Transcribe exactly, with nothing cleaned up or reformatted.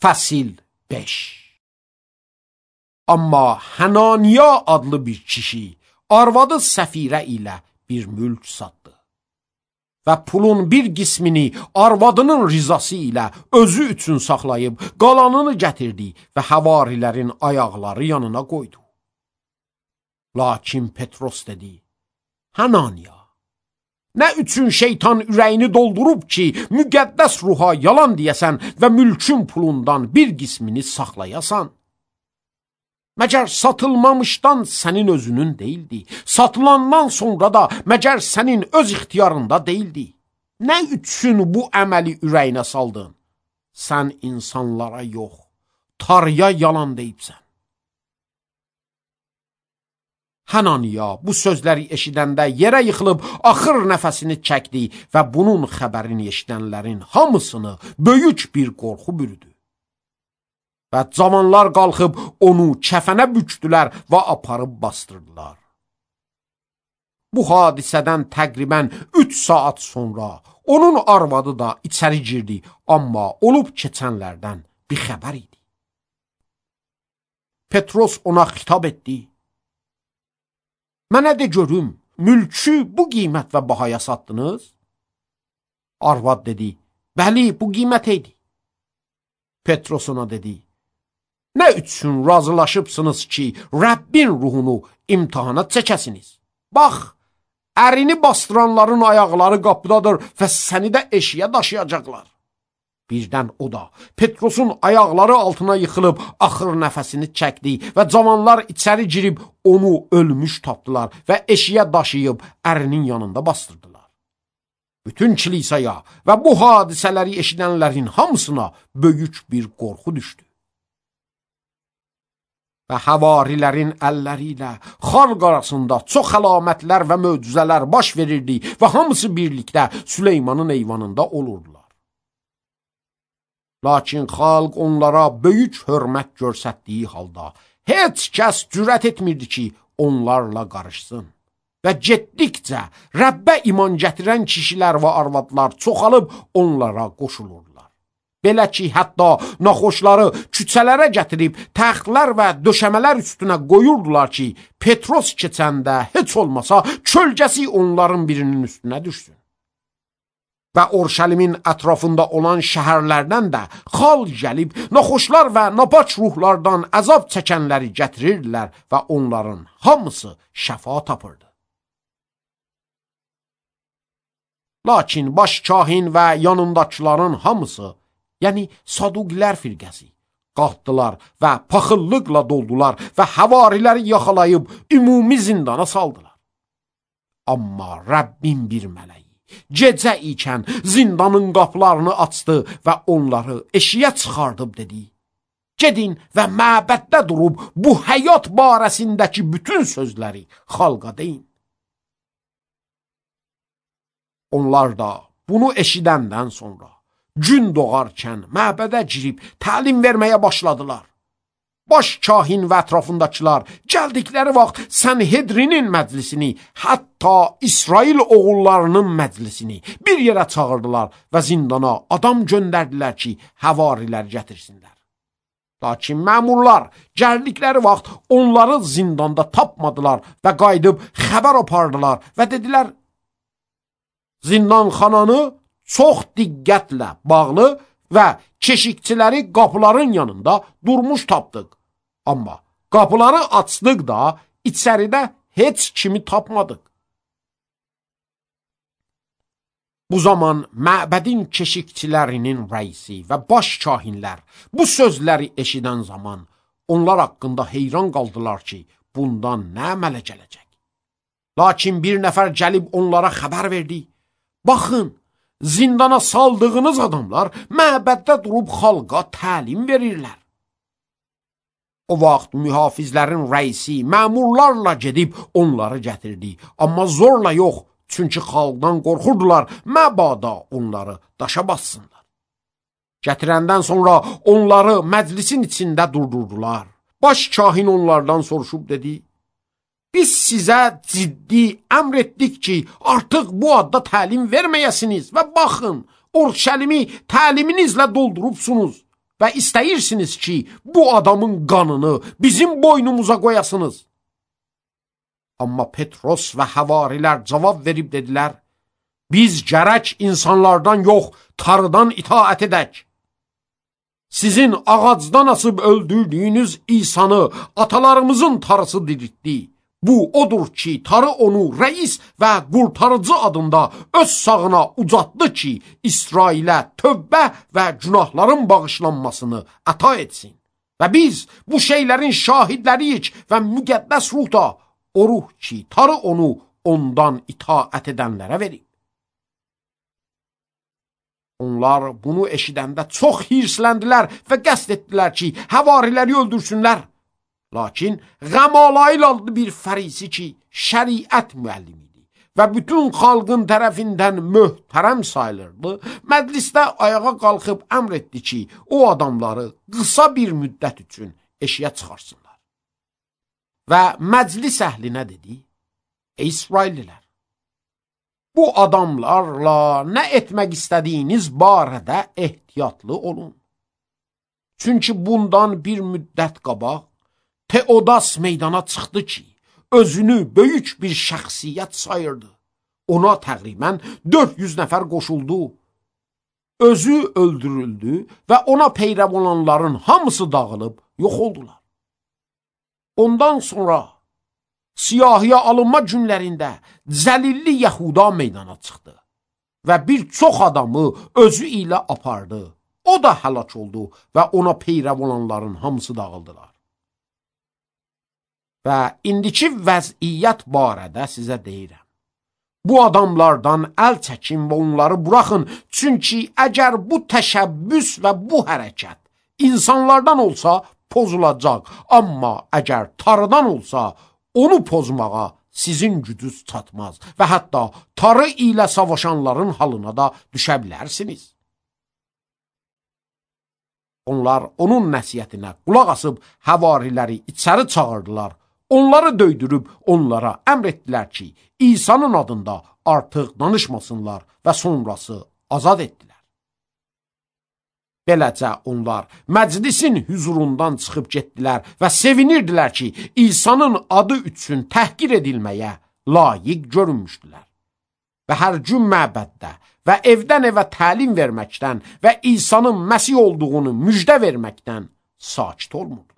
Fəsil beş. Amma Hənaniya adlı bir kişi arvadı Səfirə ilə bir mülk satdı və pulun bir qismini arvadının rizası ilə özü üçün saxlayıb qalanını gətirdi və havarilərin ayaqları yanına qoydu. Lakin Petros dedi: Hənaniya, nə üçün şeytan ürəyini doldurub ki, müqəddəs ruha yalan deyəsən və mülkün pulundan bir qismini saxlayasan? Məgər satılmamışdan sənin özünün deyildi, satılandan sonra da məgər sənin öz ixtiyarında deyildi. Nə üçün bu əməli ürəyinə saldın? Sən insanlara yox, Tanrıya yalan deyibsən. Hənaniya bu sözləri eşidəndə yerə yıxılıb axır nəfəsini çəkdi və bunun xəbərini eşidənlərin hamısını böyük bir qorxu bürüdü. Və cavanlar qalxıb onu kəfənə bükdülər və aparıb bastırdılar. Bu hadisədən təqribən üç saat sonra onun arvadı da içəri girdi, amma olub keçənlərdən bir xəbər idi. Petros ona xitab etdi: Mənə de görüm, mülkü bu qiymət və bahaya satdınız? Arvad dedi: Bəli, bu qiymət idi. Petros ona dedi: Nə üçün razılaşıbsınız ki, Rəbbin ruhunu imtihana çəkəsiniz? Bax, ərini bastıranların ayaqları qapıdadır və səni də eşiyə daşıyacaqlar. Birdən o da Petrosun ayaqları altına yıxılıb axır nəfəsini çəkdi və cavanlar içəri girib onu ölmüş tapdılar və eşiyə daşıyıb ərinin yanında bastırdılar. Bütün kilisaya və bu hadisələri eşidənlərin hamısına böyük bir qorxu düşdü. Və havarilərin əlləri ilə xalq arasında çox əlamətlər və möcüzələr baş verirdi və hamısı birlikdə Süleymanın eyvanında olurdular. Lakin xalq onlara böyük hörmət göstərdiyi halda heç kəs cürət etmirdi ki, onlarla qarışsın. Və getdikcə Rəbbə iman gətirən kişilər və arvadlar çoxalıb onlara qoşulurlar. Belə ki, hətta naxoşları küçələrə gətirib təxtlər və döşəmələr üstünə qoyurdular ki, Petros keçəndə heç olmasa kölgəsi onların birinin üstünə düşsün. Və Orşəlimin ətrafında olan şəhərlərdən də xalq gəlib naxoşlar və napaç ruhlardan əzab çəkənləri gətirirdilər və onların hamısı şəfa tapırdı. Lakin baş kahin və yanındakıların hamısı, yəni Saduqilər firqəsi, qalxdılar və paxıllıqla doldular və havariləri yaxalayıb ümumi zindana saldılar. Amma Rəbbin bir mələyi gecə ikən zindanın qapılarını açdı və onları eşiyə çıxardıb dedi: Gedin və məbəddə durub bu həyat barəsindəki bütün sözləri xalqa deyin. Onlar da bunu eşidəndən sonra gün doğarkən məbədə girib təlim verməyə başladılar. Baş kahin və ətrafındakılar gəldikləri vaxt Sənhedrinin məclisini, hətta İsrail oğullarının məclisini bir yerə çağırdılar və zindana adam göndərdilər ki, havarilər gətirsinlər. Lakin məmurlar gəldikləri vaxt onları zindanda tapmadılar və qayıdıb xəbər apardılar və dedilər: Zindanxananı çox diqqətlə bağlı və keşikçiləri qapıların yanında durmuş tapdıq. Amma qapıları açdıq da içəridə heç kimi tapmadıq. Bu zaman məbədin keşikçilərinin rəisi və baş kahinlər bu sözləri eşidən zaman onlar haqqında heyran qaldılar ki, bundan nə əmələ gələcək. Lakin bir nəfər gəlib onlara xəbər verdi: Baxın, zindana saldığınız adamlar məbəddə durub xalqa təlim verirlər. O vaxt mühafizlərin rəisi məmurlarla gedib onları gətirdi, amma zorla yox, çünki xalqdan qorxurdular, məbada onları daşa bassınlar. Gətirəndən sonra onları məclisin içində durdurdular. Baş kahin onlardan soruşub dedi: Biz sizə ciddi əmr etdik ki, artıq bu adda təlim verməyəsiniz və baxın, Orşəlimi təliminizlə doldurubsunuz. və istəyirsiniz ki, bu adamın qanını bizim boynumuza qoyasınız. Amma Petros və həvarilər cavab verib dedilər, biz gərək insanlardan yox, tarıdan itaət edək. Sizin ağacdan asıb öldürdüyünüz İsanı atalarımızın tarısı diriltdi. Bu odur ki, tarı onu rəis və qurtarıcı adında öz sağına ucatdı ki, İsrailə tövbə və günahların bağışlanmasını əta etsin. Və biz bu şeylərin şahidləriyik və müqəddəs ruh da o ruh ki, tarı onu ondan itaət edənlərə verib. Onlar bunu eşidəndə çox hirsləndilər və qəsd etdilər ki, həvariləri öldürsünlər. Lakin Qəmalayil adlı bir fərisi ki, şəriət müəllimi idi və bütün xalqın tərəfindən möhtərəm sayılırdı, məclisdə ayağa qalxıb əmr etdi ki, o adamları qısa bir müddət üçün eşiyə çıxarsınlar. Və məclis əhlinə dedi, ey İsraillilər, bu adamlarla nə etmək istədiyiniz barədə ehtiyatlı olun. Çünki bundan bir müddət qabaq Teodas meydana çıxdı ki, özünü böyük bir şəxsiyyət sayırdı. Ona təqribən dörd yüz nəfər qoşuldu. Özü öldürüldü və ona peyrəv olanların hamısı dağılıb yox oldular. Ondan sonra siyahıya alınma günlərində Cəlilli Yəhuda meydana çıxdı və bir çox adamı özü ilə apardı. O da həlak oldu və ona peyrəv olanların hamısı dağıldılar. Və indiki vəziyyət barədə sizə deyirəm. Bu adamlardan əl çəkin və onları buraxın, çünki əgər bu təşəbbüs və bu hərəkət insanlardan olsa pozulacaq, amma əgər tarıdan olsa onu pozmağa sizin gücünüz çatmaz və hətta tarı ilə savaşanların halına da düşə bilərsiniz. Onlar onun nəsiyyətinə qulaq asıb həvariləri içəri çağırdılar. Onları döydürüb onlara əmr etdilər ki, İsa'nın adında artıq danışmasınlar və sonrası azad etdilər. Beləcə onlar məclisin hüzurundan çıxıb getdilər və sevinirdilər ki, İsa'nın adı üçün təhqir edilməyə layiq görünmüşdülər. Və hər gün məbəddə və evdən evə təlim verməkdən və İsa'nın Məsih olduğunu müjdə verməkdən sakit olmurdu.